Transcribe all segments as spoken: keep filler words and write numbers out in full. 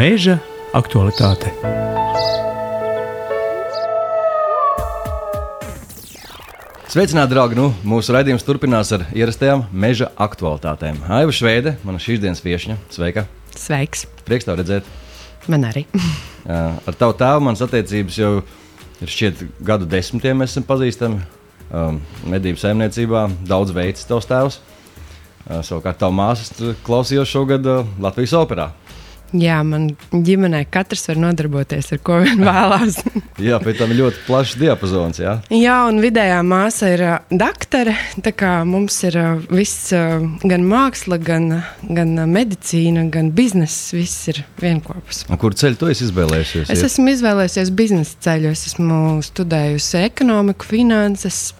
Meža aktualitāte. Sveicināti, draugi! Nu, mūsu raidījums turpinās ar ierastajām meža aktualitātēm. Aiva Šveide, mana šīs dienas viešņa. Sveika! Sveiks! Prieks tev redzēt. Man arī. Ar tavu tēvu manas attiecības jau ir šķiet gadu desmitiem mēs esam pazīstami. Um, medību saimniecībā daudz veids tavs tēvs. Uh, savukārt tavu māsas klausījos šogad uh, Latvijas operā. Jā, man ģimenē katrs var nodarboties ar ko vien vēlās. Jā, pēc tam ir ļoti plašs diapazons, jā? Jā, un vidējā māsa ir uh, daktare, tā kā mums ir uh, viss, uh, gan māksla, gan, gan uh, medicīna, gan bizness, viss ir vienkopus. Un kur ceļu tu esi izvēlējusies? Es esmu izvēlējusies biznesa ceļu, es esmu studējusi ekonomiku, finanses,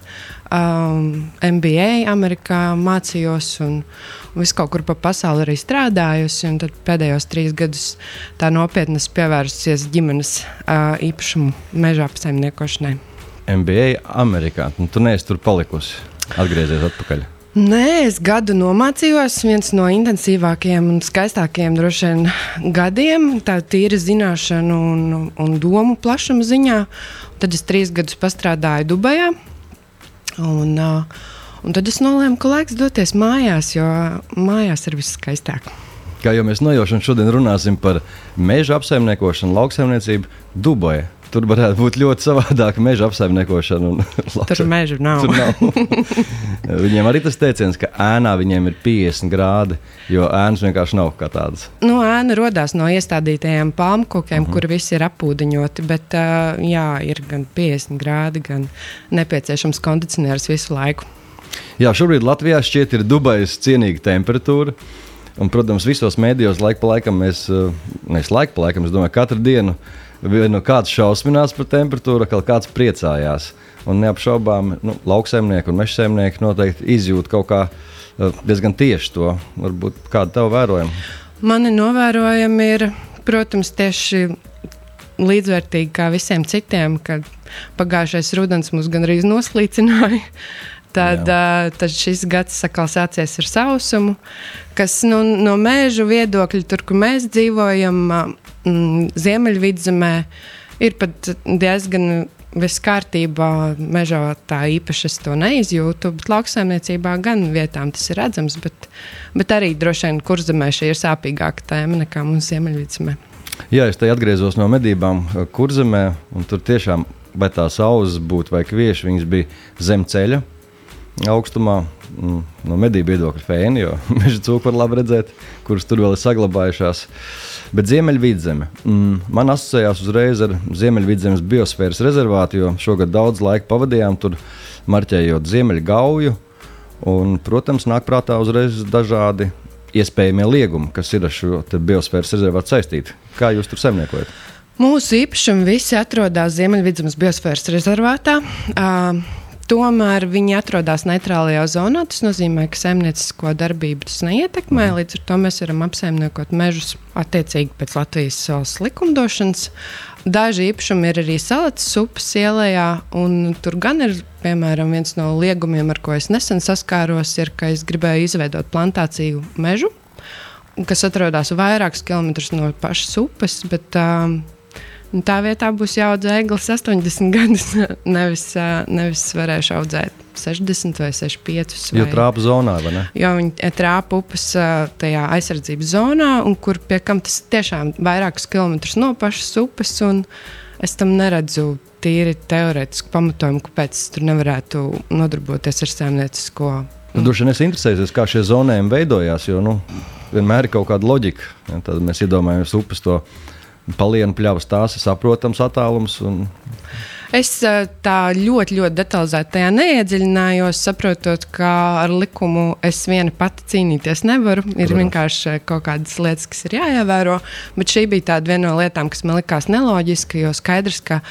um, M B A Amerikā mācījos un visu kaut kur pa pasauli arī strādājusi, un tad pēdējos trīs gadus tā nopietni pievērsusies ģimenes uh, īpašumu meža apsaimniekošanai. M B A Amerikā, nu, tu neesi tur palikusi, atgriezies atpakaļ. Nē, es gadu nomācījos, viens no intensīvākajiem un skaistākajiem droši vien gadiem, tā tīra zināšanu un, un domu plašuma ziņā. Tad es trīs gadus pastrādāju Dubajā, un uh, Un tad es nolēmu, ka laiks doties mājās, jo mājās ir viss skaistāk. Kā jau mēs nojaušam, šodien runāsim par meža apsaimniekošanu, lauksaimniecību Dubaja. Tur varētu būt ļoti savādāka meža apsaimniekošana. Un tur meža nav. Tur nav. Viņiem arī tas teiciens, ka ēnā viņiem ir piecdesmit grādi, jo ēnas vienkārši nav kā tādas. Nu, ēna rodās no iestādītajiem palmkokiem, uh-huh. kur visi ir apūdeņoti, bet uh, jā, ir gan piecdesmit grādi, gan nepieciešams kondicionieris visu laiku. Jā, šobrīd Latvijā šķiet ir Dubajas cienīga temperatūra. Un, protams, visos mēdījos laika pa laikam mēs, nevis laika pa laikam, es domāju, katru dienu no kāds šausminās par temperatūru, kā kāds priecājās. Un neapšaubām, nu, lauksaimnieki un mežsaimnieki noteikti izjūt kaut kā diezgan tieši to. Varbūt kāda tev vērojama? Mani novērojami ir, protams, tieši līdzvērtīgi kā visiem citiem, kad pagājušais rudens mūs gandrīz noslīcināja. Tad, uh, tad šis gads sakal sācies ar sausumu, kas nu, no mēžu viedokļa, tur, kur mēs dzīvojam, mm, Ziemeļvidzemē, ir pat diezgan viss kārtībā. Mežā tā īpaši es to neizjūtu, bet lauksaimniecībā gan vietām tas ir redzams, bet, bet arī droši vien Kurzemē šī ir sāpīgāka tēma nekā mums Ziemeļvidzemē. Jā, es te atgriezos no medībām Kurzemē, un tur tiešām, vai tās auzas būtu vai kvieši, viņas bija zem ceļa. Augstumā, no medību viedokļa fēni, jo meža cūku var labi redzēt, kuras tur vēl ir saglabājušās. Bet Ziemeļvidzeme, man asociējās uzreiz ar Ziemeļvidzemes biosfēras rezervātu, jo šogad daudz laika pavadījām tur marķējot Ziemeļgauju, un, protams, nāk prātā uzreiz dažādi iespējamie liegumi, kas ir ar šo biosfēras rezervātu saistīti. Kā jūs tur saimniekojat? Mūsu īpašumi visi atrodas Ziemeļvidzemes biosfēras rezervātā. Uh, Tomēr viņi atrodas neitrālajā zonā. Tas nozīmē, ka saimniecisko darbību tas neietekmē. Līdz ar to mēs varam apsaimniekot mežus attiecīgi pēc Latvijas valsts likumdošanas. Daži īpašumi ir arī Salatas upes ielējā, un tur gan ir, piemēram, viens no liegumiem, ar ko es nesen saskāros, ir, ka es gribēju izveidot plantāciju mežu, kas atrodas vairākus kilometrus no pašas upes, bet um, tā vietā būs jāaudzē eglis astoņdesmit gadus, nevis, nevis varēšu audzēt sešdesmit vai sešdesmit piecus. Jo trāpa zonā, vai ne? Jo viņi trāpa upes tajā aizsardzības zonā, un kur pie kam tas tiešām vairākus kilometrus no pašas upes, un es tam neredzu tīri teorētisku pamatojumu, kāpēc es tur nevarētu nodarboties ar saimniecisko. Nu, droši vien es interesēsies, kā šie zonējumi veidojās, jo nu, vienmēr ir kaut kāda loģika. Ja, tad mēs iedomājamies upes to palienu pļavas, tās ir saprotams attālums. Un... Es tā ļoti, ļoti detalizēti tajā neiedziļinājos, saprotot, ka ar likumu es viena pati cīnīties nevaru. Ir Protams. Vienkārši kaut kādas lietas, kas ir jāievēro, bet šī bija tāda viena no lietām, kas man likās neloģiska, jo skaidrs, ka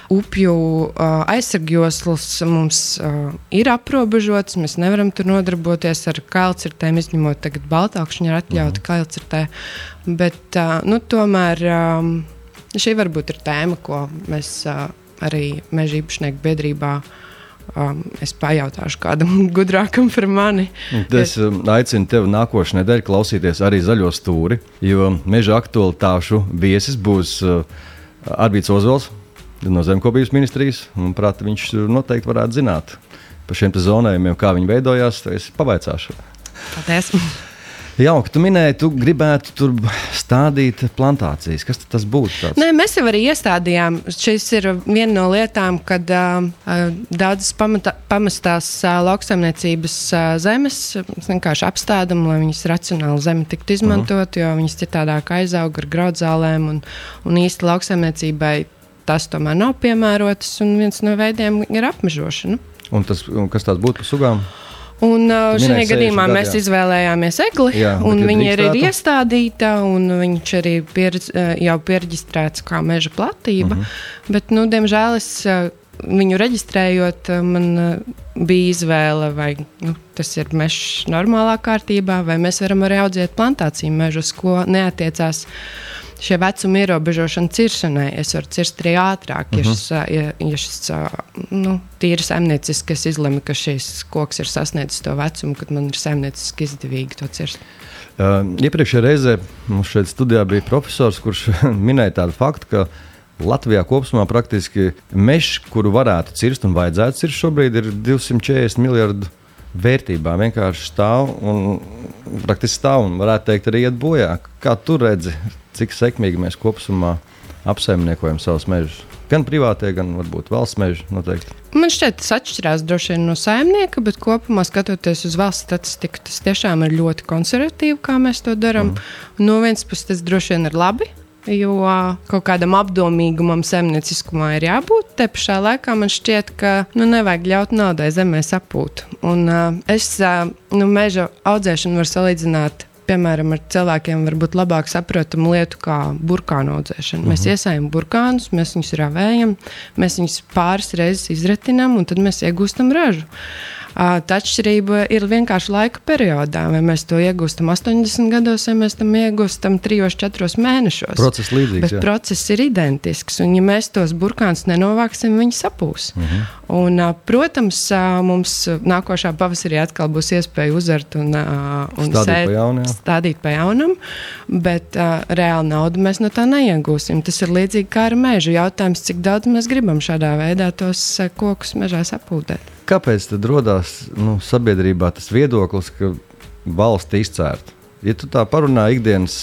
upju uh, aizsargjoslas mums uh, ir aprobežotas, mēs nevaram tur nodarboties ar kailcirtēm, izņemot tagad Baltākšņi ir atļauti uh-huh. kailcirtē, bet uh, nu, tomēr um, šī varbūt ir tēma, ko mēs uh, arī meža īpašnieku biedrībā um, es pajautāšu kādam gudrākam par mani. Es aicinu tevi nākošais nedēļa klausīties arī Zaļo stūri, jo meža aktualitāšu viesis būs uh, Arvīds Ozols no Zemkopības ministrijas. Manuprāt, viņš noteikti varētu zināt par šiem zonējumiem, kā viņi veidojās. Es pavaicāšu. Paldies! Jauki, tu minēji, tu gribētu tur stādīt plantācijas. Kas tas būtu? Tāds? Nē, mēs jau arī iestādījām. Šis ir viena no lietām, kad uh, daudzas pamata, pamestās uh, lauksaimniecības uh, zemes vienkārši apstādam, lai viņas racionāli zeme tiktu izmantot, uh-huh. jo viņas citādāk aizaug ar graudzālēm un, un īsti lauksaimniecībai tas tomēr nav piemērotas, un viens no veidiem ir apmežošana. Un tas, un kas tās būtu par sugām? Un uh, šajā gadījumā gadu, mēs jā. izvēlējāmies egli, jā, un viņa ir, ir iestādīta, un viņš arī pieredz, jau pieregistrēts kā meža platība. Uh-huh. Bet, nu, diemžēl es viņu reģistrējot, man bija izvēle, vai nu, tas ir mežs normālā kārtībā, vai mēs varam arī audzēt plantāciju mežus, ko neatiecās šie vecuma ierobežošana ciršanai. Es varu cirst arī ātrāk, uh-huh. ja šis, ja, ja šis nu, tīri saimnieciski es izlemu, ka šis koks ir sasniedzis to vecumu, kad man ir saimnieciski izdevīgi to cirst. Uh, iepriekšējā reizē mums šeit studijā bija profesors, kurš minēja tādu faktu, ka Latvijā kopumā praktiski mežs, kuru varētu cirst un vajadzētu cirst šobrīd, ir divsimt četrdesmit miljardu vērtībā. Vienkārši stāv un praktiski stāv un varētu teikt arī iet bojā. Kā tu redzi, cik sekmīgi mēs kopumā apsaimniekojam savus mežus? Gan privātie, gan varbūt valsts meži noteikti. Man šķiet, tas atšķirās droši vien no saimnieka, bet kopumā skatoties uz valsts statistiku, tas tiešām ir ļoti konservatīvi, kā mēs to darām. Mm. No vienas puses tas droši vien ir labi, jo kaut kādam apdomīgumam saimnieciskumā ir jābūt. Te pašā laikā man šķiet, ka nu, nevajag ļaut naudai zemē sapūt. Un uh, es uh, nu, meža audzēšanu varu salīdzināt, piemēram, ar cilvēkiem varbūt labāk saprotamu lietu kā burkānu audzēšanu. Uh-huh. Mēs iesējam burkānus, mēs viņus ravējam, mēs viņus pāris reizes izretinām un tad mēs iegūstam ražu. Uh, tā atšķirība ir vienkārši laika periodā, vai mēs to iegūstam astoņdesmit gados, vai mēs tam iegūstam trijos, četros mēnešos. Process līdzīgs, bet jā. Process ir identisks, un ja mēs tos burkānus nenovāksim, viņi sapūs. Uh-huh. Un, uh, protams, uh, mums nākošā pavasarī atkal būs iespēja uzart un, uh, un stādīt, sēt, pa jaunu, stādīt pa jaunam, bet uh, reāli naudu mēs no tā neiegūsim. Tas ir līdzīgi kā ar mežu. Jautājums, cik daudz mēs gribam šādā veidā tos uh, kokus mežā sapūtēt. Kāpēc tad rodās nu, sabiedrībā tas viedoklis, ka valsts izcērt? Ja tu tā parunā ikdienas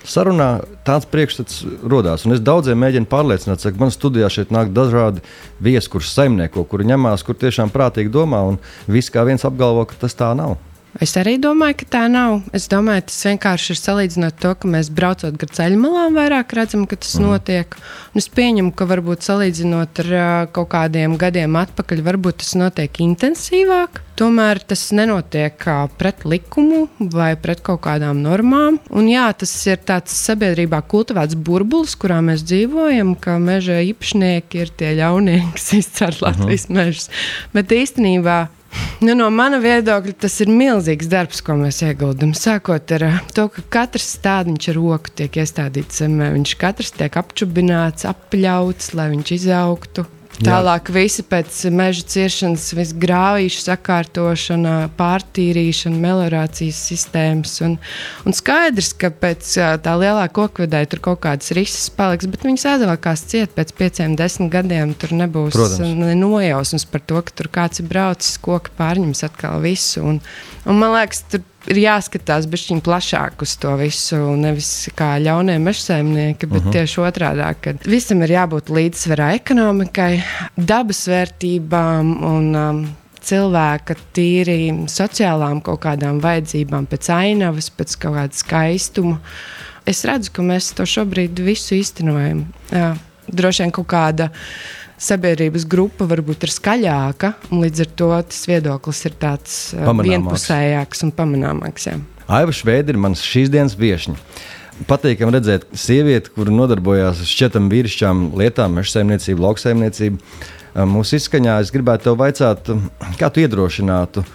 sarunā, tāds priekšstats rodās. Un es daudziem mēģinu pārliecināt, ka man studijā šeit nāk dažādi viesi, kurš saimnieko, kuri ņemās, kur tiešām prātīgi domā, un visi kā viens apgalvo, ka tas tā nav. Es arī domāju, ka tā nav. Es domāju, tas vienkārši ir salīdzinot to, ka mēs braucot gar ceļmalām vairāk redzam, ka tas mm. notiek. Un es pieņemu, ka varbūt salīdzinot ar uh, kaut kādiem gadiem atpakaļ, varbūt tas notiek intensīvāk. Tomēr tas nenotiek uh, pret likumu vai pret kaut kādām normām. Un jā, tas ir tāds sabiedrībā kultivēts burbulis, kurā mēs dzīvojam, ka meža īpašnieki ir tie ļaunie, kas izcēr Latvijas mm. mežus. Bet īstenībā nu, no mana viedokļa tas ir milzīgs darbs, ko mēs ieguldam. Sākot ar to, ka katrs stādiņš ar roku tiek iestādīts zemē. Viņš katrs tiek apčubināts, apļauts, lai viņš izaugtu. Tālāk visi pēc meža ciršanas, visu grāvīšu sakārtošana, pārtīrīšana, meliorācijas sistēmas. Un, un skaidrs, ka pēc tā lielā kokvedē tur kaut kādas rises paliks, bet viņas aizvēlkās ciet pēc pieciem, desmit gadiem. Tur nebūs nojausmas par to, ka tur kāds ir braucis, koki pārņems atkal visu. Un, un man liekas, tur ir jāskatās bišķiņ plašāk uz to visu, nevis kā ļaunie mežsaimnieki, bet uh-huh. tieši otrādā, ka visam ir jābūt līdzsvarā ekonomikai, dabas vērtībām un um, cilvēka tīri sociālām kaut kādām vajadzībām, pēc ainavas, pēc kaut kāda skaistuma. Es redzu, ka mēs to šobrīd visu īstenojam. Jā, droši vien kaut kāda sabiedrības grupa varbūt ir skaļāka, un līdz ar to tas viedoklis ir tāds vienpusējāks un pamanāmāks. Jā. Aiva Šveida ir mans šīs dienas viešņa. Patīkam redzēt sievieti, kura nodarbojās ar šķietam vīrišķām lietām, mežsaimniecību, lauksaimniecību. Mūsu izskaņā es gribētu tev vaicāt, kā tu iedrošinātu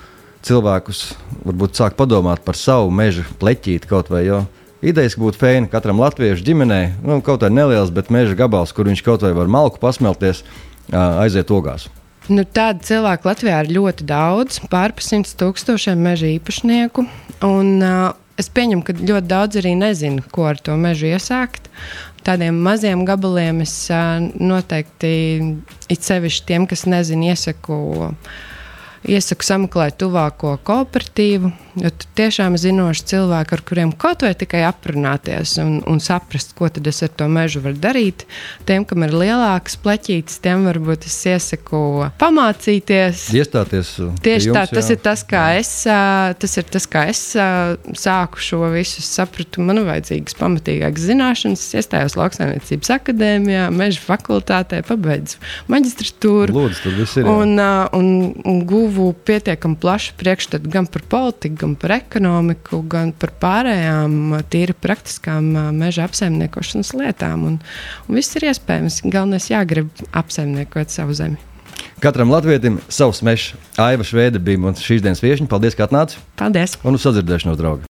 cilvēkus, varbūt sāk padomāt par savu meža pleķīti kaut vai, jo idejas būtu fēni katram latviešu ģimenē, nu, kaut vai neliels, bet meža gabals, kur viņš kaut vai var malku pasmelties, aiziet ogās. Nu, tādu cilvēku Latvijā ir ļoti daudz, pār simts tūkstošiem meža īpašnieku. Un, uh, es pieņemu, ka ļoti daudz arī nezinu, ko ar to mežu iesākt. Tādiem maziem gabaliem es uh, noteikti, it sevišķi tiem, kas nezinu, iesaku, iesaku sameklēt tuvāko kooperatīvu. Jo tu tiešām zinoši cilvēki, ar kuriem kaut vai tikai aprunāties un, un saprast, ko tad es ar to mežu varu darīt. Tiem, kam ir lielākas pleķītes, tiem varbūt es iesaku pamācīties. Iestāties Tieši jums, tā, tas jā. ir tas, kā es, tas ir tas, kā es sāku šo visu, sapratu, man vajadzīgas pamatīgākas zināšanas. Es iestājos Lauksaimniecības akadēmijā, meža fakultātē, pabeidzu maģistratūru. Lūdzu, tur viss ir. Jā. Un, un, un guvu pietiekami plašu priekšstatu gan par politiku, gan par ekonomiku, gan par pārējām tīri praktiskām meža apsaimniekošanas lietām. Un, un viss ir iespējams. Galvenais jāgrib apsaimniekot savu zemi. Katram latvietim savs mežs. Aiva Šveide bija mums šīs dienas viešņa. Paldies, ka atnāci. Paldies! Un uz sadzirdēšanos, draugi!